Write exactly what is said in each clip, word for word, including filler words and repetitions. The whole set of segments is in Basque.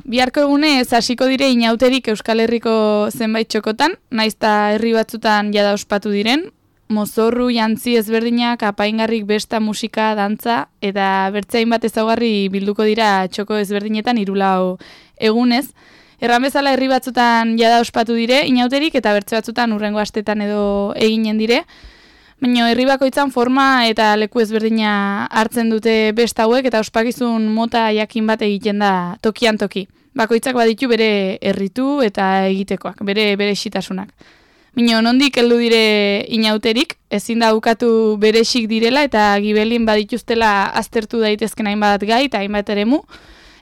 Biharko egunez hasiko dire inauterik Euskal Herriko zenbait txokotan, naizta herri batzutan jada ospatu diren, mozorru, jantzi ezberdinak, apaingarrik besta, musika, dantza, eta bertzein bat ezaugarri bilduko dira txoko ezberdinetan hirulau egunez. Erran bezala herri batzutan jada ospatu dire inauterik eta bertze batzutan hurrengo astetan edo eginen dire. Baina herri bakoitzan forma eta leku ezberdina hartzen dute besta hauek eta ospakizun mota jakin bat egiten da tokian toki. Bakoitzak baditu bere herritu eta egitekoak, bere berezitasunak. Baina nondik heldu dire inauterik, ezin da ukatu berexik direla eta gibelin badituztela aztertu daitezken hainbat gai eta hainbat eremu.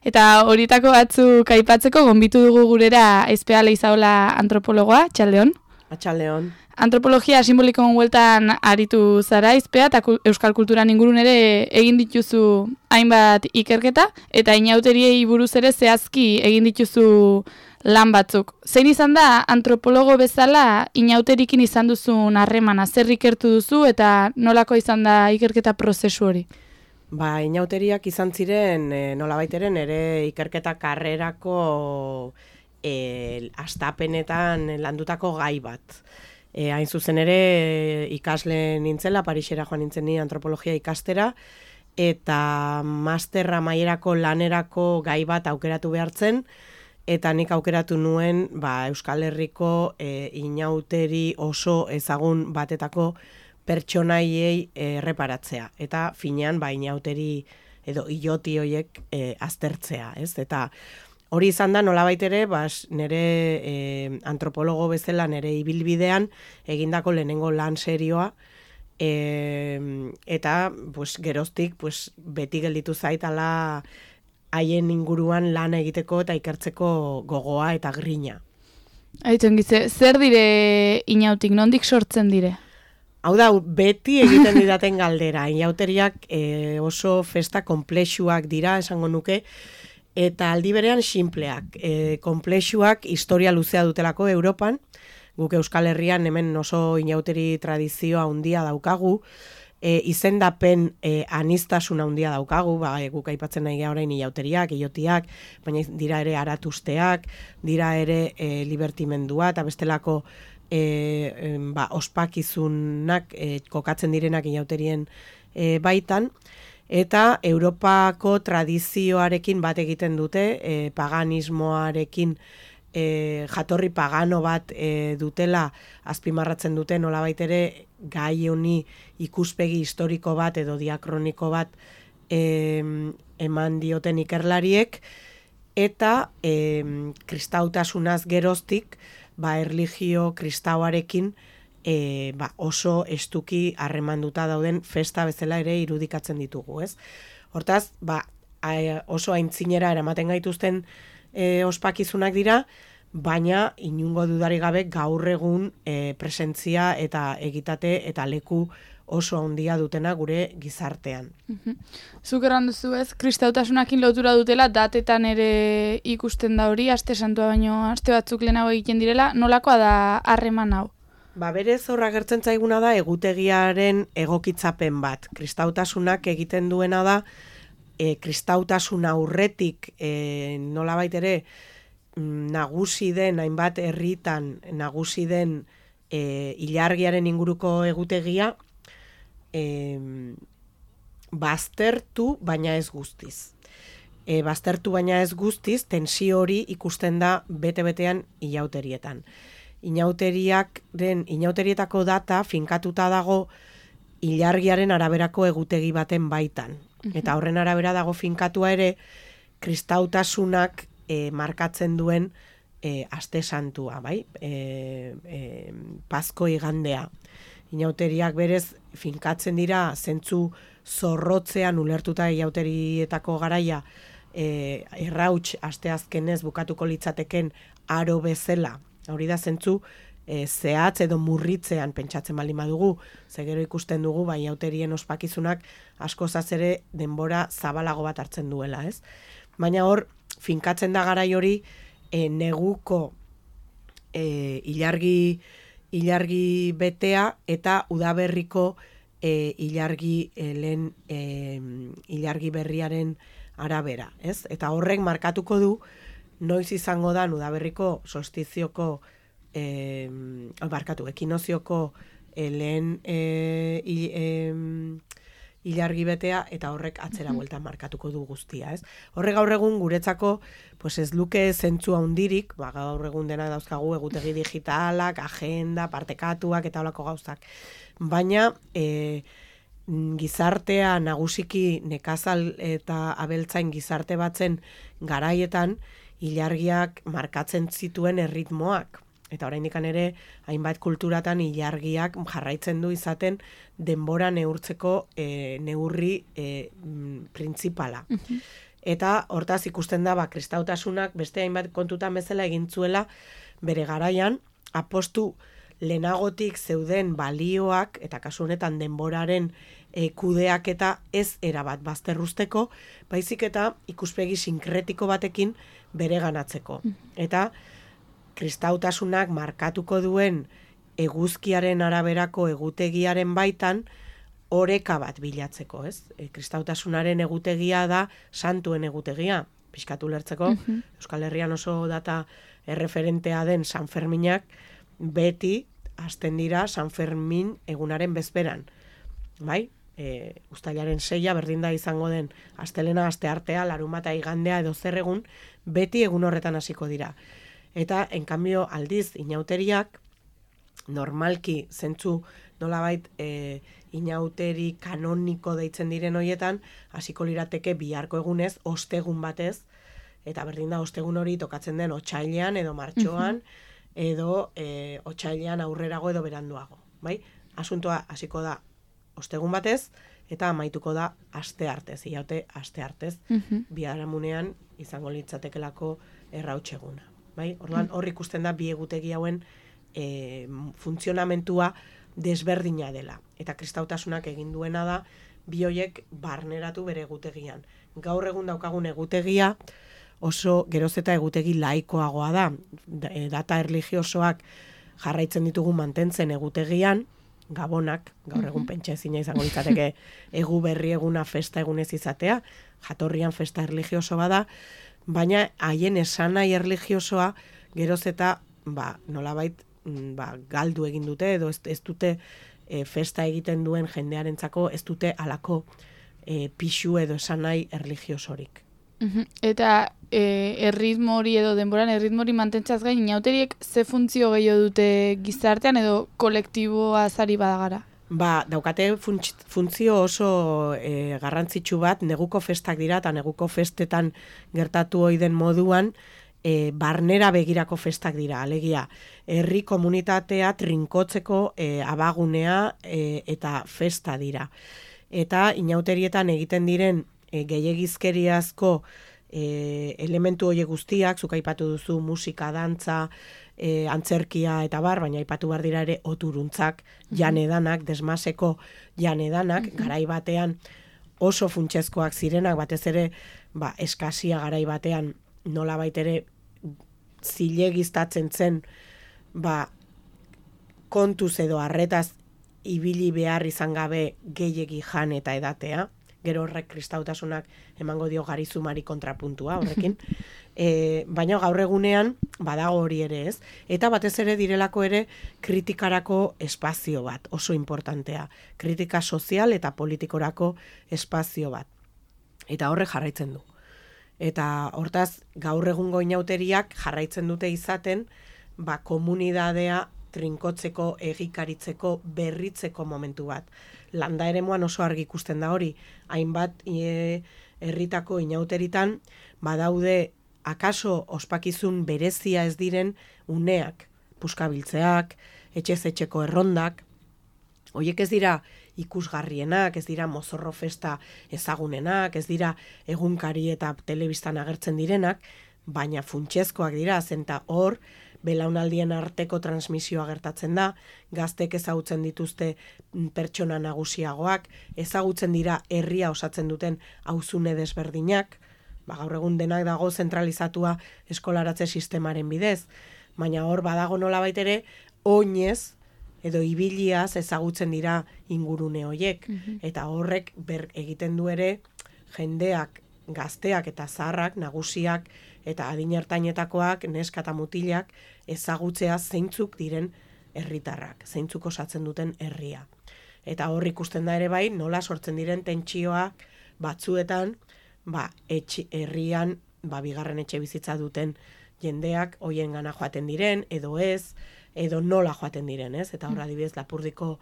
Eta horietako batzuk aipatzeko gonbitu dugu gurera Aizpea Leizaola antropologoa, Txaldeon. Atxaldeon. Antropologia simbolikon hueltan aritu zara Aizpea eta euskal kulturan ingurun ere egin dituzu hainbat ikerketa eta inauteriei buruz ere zehazki egin dituzu lan batzuk. Zein izan da antropologo bezala inauterikin izan duzun harremana, zer ikertu duzu eta nolako izan da ikerketa prozesu hori? Ba, inauteriak izan ziren e, nolabaiteren ere ikerketa karrerako e, astapenetan landutako gai bat. E, hain zuzen ere ikasle nintzela, Parisera joan nintzen ni antropologia ikastera, eta masterra maierako lanerako gai bat aukeratu behartzen, eta nik aukeratu nuen ba, Euskal Herriko e, inauteri oso ezagun batetako pertsonaiei erreparatzea. Eta finean ba, inauteri edo iloti hoiek e, aztertzea. Ez? Eta hori izan da nolabait ere, bas, nire e, antropologo bezala nire ibilbidean egindako lehenengo lan serioa, e, eta pues, geroztik pues, beti gelditu zaitala haien inguruan lan egiteko eta ikertzeko gogoa eta grina. Aitzen gize, zer dire inautik, nondik sortzen dire? Hau da, beti egiten didaten galdera. Inauteriak e, oso festa konplexuak dira, esango nuke, eta aldi berean sinpleak. E, konplexuak historia luzea dutelako Europan, guk Euskal Herrian hemen oso inauteri tradizioa handia daukagu, e, izendapen e, anistasuna handia daukagu, ba, e, guk aipatzen nahi orain inauteriak, illotiak, baina dira ere aratusteak, dira ere e, libertimendua eta bestelako E, ba, ospakizunak e, kokatzen direnak inauterien e, baitan, eta Europako tradizioarekin bat egiten dute, e, paganismoarekin e, jatorri pagano bat e, dutela azpimarratzen dute nolabait ere gai honi ikuspegi historiko bat edo diakroniko bat e, eman dioten ikerlariek, eta e, kristautasunaz geroztik ba, erlijio kristauarekin e, ba, oso estuki harremanduta dauden festa bezala ere irudikatzen ditugu, ez? Hortaz, ba, oso aintzinera eramaten gaituzten e, ospakizunak dira, baina inungo dudari gabe gaur egun e, presentzia eta egitate eta leku oso handia dutena gure gizartean. Uh-huh. Zuk erran duzu ez, kristautasunakin lotura dutela, datetan ere ikusten da hori, aste santua baino aste batzuk lehenago egiten direla, nolakoa da harreman hau? Ba, berez horra gertzen zaiguna da egutegiaren egokitzapen bat. Kristautasunak egiten duena da, e, kristautasuna aurretik e, nolabait ere nagusi den, hainbat herritan nagusi den e, ilargiaren inguruko egutegia, E, baztertu baina ez guztiz. E, baztertu baina ez guztiz, tensio hori ikusten da bete-betean inauterietan. Inauteriakren, inauterietako data finkatuta dago ilargiaren araberako egutegi baten baitan. Eta horren arabera dago finkatua ere kristautasunak e, markatzen duen e, aste santua, bai? E, e, Pasko igandea. Inauteriak berez finkatzen dira zentzu zorrotzean ulertuta inauterietako garaia e, errauts asteazkenez bukatuko litzateken aro bezala. Hori da zentzu e, zehatz edo murritzean pentsatzen baldin badugu, ze gero ikusten dugu ba inauterien ospakizunak askozaz ere denbora zabalago bat hartzen duela, ez? Baina hor finkatzen da garai hori e, neguko e, ilargi ilargi betea eta udaberriko e, ilargi e, lehen e, ilargi berriaren arabera, ez? Eta horrek markatuko du noiz izango da Udaberriko solstizioko eh, barkatu, ekinozioko eh, lehen eh, i, eh, ilargi betea eta horrek atzera bueltan markatuko du guztia, ez? Horre gaur egun guretzako pues ez luke zentzu handirik, ba, gaur egun dena dauzkagu egutegi digitalak, agenda, partekatuak eta holako gauzak. Baina e, gizartea nagusiki nekazal eta abeltzain gizarte batzen garaietan ilargiak markatzen zituen erritmoak. Eta oraindik ere hainbat kulturatan ilargiak jarraitzen du izaten denbora neurtzeko e, neurri e, printzipala. Uh-huh. Eta hortaz ikusten da ba, kristautasunak beste hainbat kontutan bezala egin zuela bere garaian apostu lehenagotik zeuden balioak eta kasu honetan denboraren e, kudeaketa ez erabat bazterruzteko, baizik eta ikuspegi sinkretiko batekin bereganatzeko. Uh-huh. Eta kristautasunak markatuko duen eguzkiaren araberako egutegiaren baitan oreka bat bilatzeko, ez? E, kristautasunaren egutegia da santuen egutegia, pixkatu lertzeko, uh-huh. Euskal Herrian oso data erreferentea den San Ferminak beti hasten dira San Fermin egunaren bezperan, bai? E, uztailaren seia berdin da izango den astelena, asteartea, larunbata, igandea edo zer egun, beti egun horretan hasiko dira. Eta, en cambio, aldiz, inauteriak, normalki, zentzu, nolabait, e, inauteri kanoniko deitzen diren hoietan, hasiko lirateke biharko egunez, ostegun batez, eta berdin da, ostegun hori tokatzen den otsailean edo martxoan, edo e, otsailean aurrerago edo beranduago. Bai? Asuntoa hasiko da ostegun batez, eta amaituko da aste artez, iaute aste artez, uh-huh. biharamunean izango litzatekelako errautseguna. Bai? Orduan hor ikusten da bi egutegi hauen e, funtzionamentua desberdina dela. Eta kristautasunak egin duena da bi hoiek barneratu bere egutegian. Gaur egun daukagun egutegia oso geroz eta egutegi laikoagoa da. Data erlijiosoak jarraitzen ditugu mantentzen egutegian, gabonak, gaur egun pentsa ezina izango litzateke egu berri eguna festa egunez izatea, jatorrian festa erlijioso bada, baina haien esanai erlijiosoa geroz eta ba, nolabait ba, galdu egin dute edo ez, ez dute e, festa egiten duen jendearentzako ez dute alako e, pixu edo esanai erlijiosorik. Uh-huh. Eta e, erritmo hori edo denboran erritmo hori mantentzaz gain, inauteriek ze funtzio gehiago dute gizartean edo kolektiboa zari badagara? Ba, daukate funtzio oso e, garrantzitsu bat, neguko festak dira, eta neguko festetan gertatu ohi den moduan, e, barnera begirako festak dira, alegia, herri komunitatea trinkotzeko e, abagunea e, eta festa dira. Eta inauterietan egiten diren e, gehiegizkeriazko e, elementu horiek guztiak, zuk aipatu duzu musika, dantza, E, antzerkia eta bar, baina aipatu behar dira ere oturuntzak, janedanak, desmaseko janedanak, mm-hmm. garai batean oso funtsezkoak zirenak, batez ere ba, eskasia garai batean nola baitere zilegiztatzen zen ba, kontuz edo arretaz ibili behar izan gabe gehiegi jan eta edatea, gero horrek kristautasunak emango dio garizumari kontrapuntua horrekin, e, baina gaur egunean badago hori ere ez, eta batez ere direlako ere kritikarako espazio bat, oso importantea, kritika sozial eta politikorako espazio bat, eta horrek jarraitzen du. Eta hortaz gaur egungo inauteriak jarraitzen dute izaten, ba, komunidadea trinkotzeko, egikaritzeko, berritzeko momentu bat. Landa eremuan oso argi ikusten da hori, hainbat e, herritako inauteritan, badaude akaso ospakizun berezia ez diren uneak, puskabiltzeak, etxez etxeko errondak, horiek ez dira ikusgarrienak, ez dira mozorro festa ezagunenak, ez dira egunkari eta telebistan agertzen direnak, baina funtsezkoak dira, zenta hor, belaunaldien arteko transmisioa gertatzen da, gaztek ezagutzen dituzte pertsona nagusiagoak, ezagutzen dira herria osatzen duten auzune desberdinak, ba, gaur egun denak dago zentralizatua eskolaratze sistemaren bidez, baina hor badago nolabait ere oinez edo ibiliaz ezagutzen dira ingurune hoiek, mm-hmm. eta horrek ber egiten du ere jendeak, gazteak eta zaharrak, nagusiak eta adin ertainetakoak, neska eta mutilak, ezagutzea zeintzuk diren herritarrak, zeintzuk osatzen duten herria. Eta hor ikusten da ere bai, nola sortzen diren tentsioak batzuetan, ba, etxe, herrian, ba, bigarren etxe bizitza duten jendeak hoien gana joaten diren, edo ez, edo nola joaten diren, ez? Eta hor adibidez, Lapurdiko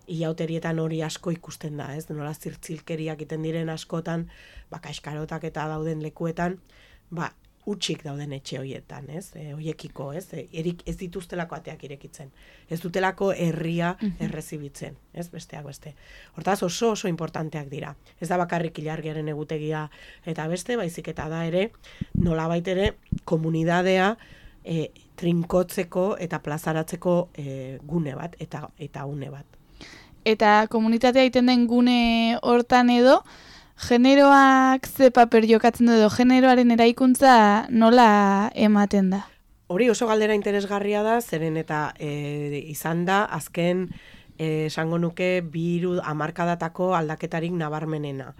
ilauterietan hori asko ikusten da, ez? Nola zirtzilkeriak iten diren askotan, ba, kaskarotak eta dauden lekuetan, ba, utxik dauden etxe hoietan, ez? E, hoiekiko, ez? E, erik ez dituztelako ateak irekitzen. Ez dutelako herria errezibitzen, ez? Besteak beste. Hortaz oso oso importanteak dira. Ez da bakarrik ilargiaren egutegia eta beste, baizik eta da ere, nolabait ere, komunidadea e, trinkotzeko eta plazaratzeko e, gune bat, eta, eta une bat. Eta komunitatea egiten den gune hortan edo, generoak ze paper jokatzen du edo generoaren eraikuntza nola ematen da? Hori oso galdera interesgarria da, zeren eta e, izan da azken e, esango nuke biru hamarkadatako aldaketarik nabarmenena.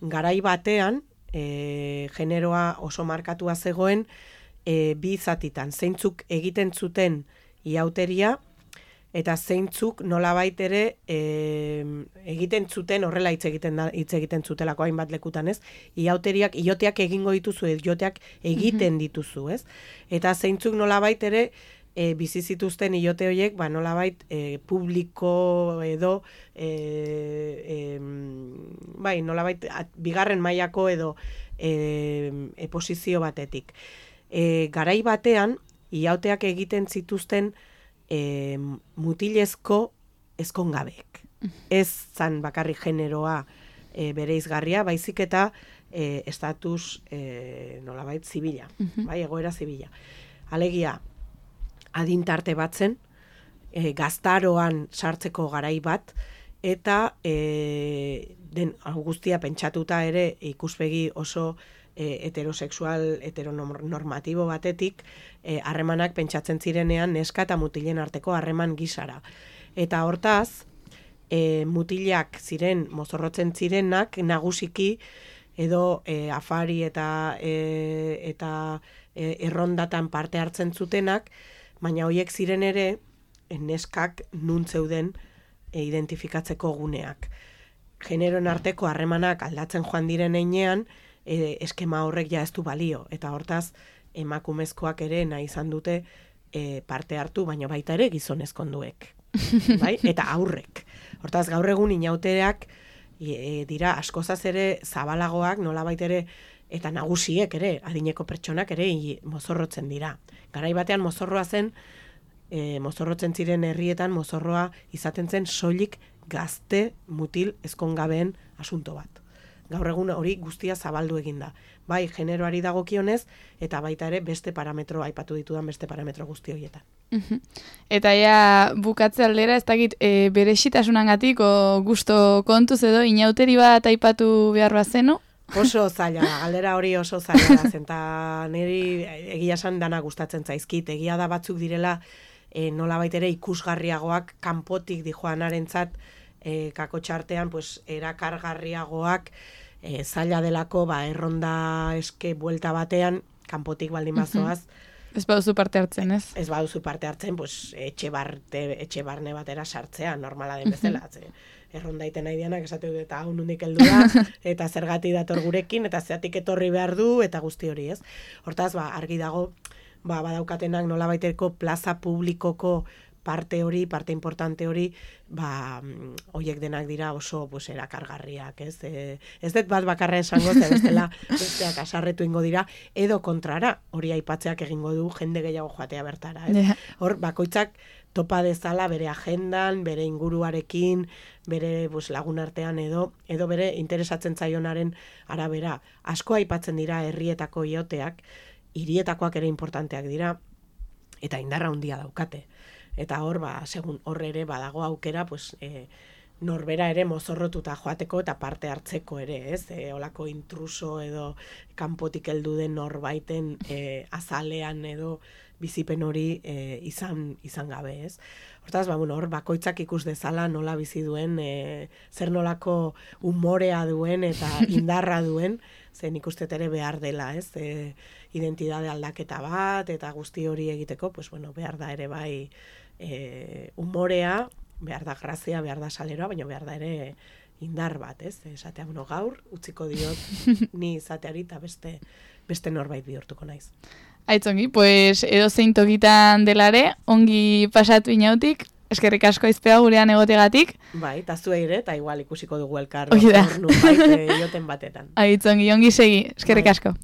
Garai batean e, generoa oso markatua zegoen e, bi zatitan, zeintzuk egiten zuten iauteria, eta zeintzuk nolabait ere e, egiten zuten horrela hitz egiten da, hitz egiten zutelako hainbat lekutan, ez? Iauteriak, ioteak egingo dituzu, ioteak egiten dituzu, ez? Eta zeintzuk nolabait ere e, bizi zituzten iote horiek, ba nolabait e, publiko edo e, e, bai, nolabait at, bigarren mailako edo e, e, posizio batetik. E, garai batean iauteak egiten zituzten E, mutilezko ezkongabeek. Ez zan bakarrik generoa e, bereizgarria, baizik eta e, estatus e, nolabait zibila, bai, egoera zibila. Alegia, adintarte batzen, e, gaztaroan sartzeko garai bat, eta e, den guztia pentsatuta ere ikuspegi oso heterosexual, heteronormatibo batetik, harremanak e, pentsatzen zirenean neska eta mutilen arteko harreman gisara. Eta hortaz, e, mutilak ziren, mozorrotzen zirenak, nagusiki, edo e, afari eta, e, eta e, errondatan parte hartzen zutenak, baina horiek ziren ere, neskak nun zeuden e, identifikatzeko guneak. Generoen arteko harremanak aldatzen joan diren heinean, E, eskema horrek ja ez du balio, eta hortaz emakumezkoak ere nahi izan dute e, parte hartu, baina baita ere gizonezkonduek, bai? Eta aurrek. Hortaz gaur egun inauteak e, dira askozaz ere zabalagoak, nolabait ere, eta nagusiek ere, adineko pertsonak ere i, mozorrotzen dira. Garai batean mozorroa zen, e, mozorrotzen ziren herrietan, mozorroa izaten zen soilik gazte mutil ezkongabeen asunto bat. Gaur egun hori guztia zabaldu eginda. Bai, generoari dagokionez, eta baita ere beste parametro, aipatu ditudan beste parametro guzti horietan. Uh-huh. Eta ja bukatze aldera, ez dakit, e, berexitasunangatik o gusto kontuz edo inauteri bat aipatu behar bazenu? Oso zaila, galdera hori oso zaila da, zenta niri egia esan dana gustatzen zaizkit, egia da batzuk direla e, nolabait ere ikusgarriagoak kanpotik dijoanarentzat, E, kakotxartean, pues, erakargarriagoak e, zaila delako, ba, erronda eske buelta batean, kanpotik baldin bazoaz. Ez baduzu parte hartzen, ez? Ez baduzu parte hartzen, pues, etxe, barte, etxe barne batera sartzea, normala den bezala. Erronda iten nahi dianak, esate dut, eta hau nundik heldu da, eta zergati dator gurekin, eta zeatik etorri behar du, eta guzti hori, ez? Hortaz, ba, argi dago, ba, badaukatenak nolabaiteko plaza publikoko parte hori, parte importante hori, ba, hoiek denak dira oso pues, erakargarriak, ez? E, ez dut bat bakarra esango, ze bestela besteak asarretu ingo dira, edo kontrara, hori aipatzeak egingo du jende gehiago joatea bertara, ez? Yeah. Hor, bakoitzak topa dezala bere agendan, bere inguruarekin, bere pues, lagun artean edo, edo bere interesatzen zaionaren arabera. Asko aipatzen dira herrietako ioteak, hirietakoak ere importanteak dira, eta indarra handia daukate. Eta hor, ba, segun hor ere badago aukera, pues, e, norbera ere mozorrotuta joateko eta parte hartzeko ere, ez? E, olako intruso edo kanpotik heldu den norbaiten e, azalean edo bizipen hori e, izan, izan gabe, ez? Hortaz, ba, bueno, hor, bakoitzak ikus dezala nola bizi duen, e, zer nolako umorea duen eta indarra duen, ze nik uste ere behar dela, ez, e, identitate aldaketa bat, eta guzti hori egiteko, pues, bueno, behar da ere bai e, umorea, behar da grazia, behar da saleroa, baina behar da ere indar bat, ez, esatea, bueno, gaur, utziko diot, ni izateari eta beste, beste norbait bihurtuko naiz. Aitzongi, pues edo zein tokitan delare, ongi pasatu inautik, eskerrik asko aizpea gurean egotegatik. Bai, eta zuei ere, eta igual ikusiko dugu elkar, Hori da. ornu bait, joten batetan. Aitzongi, ongi segi, eskerrik Bai. asko.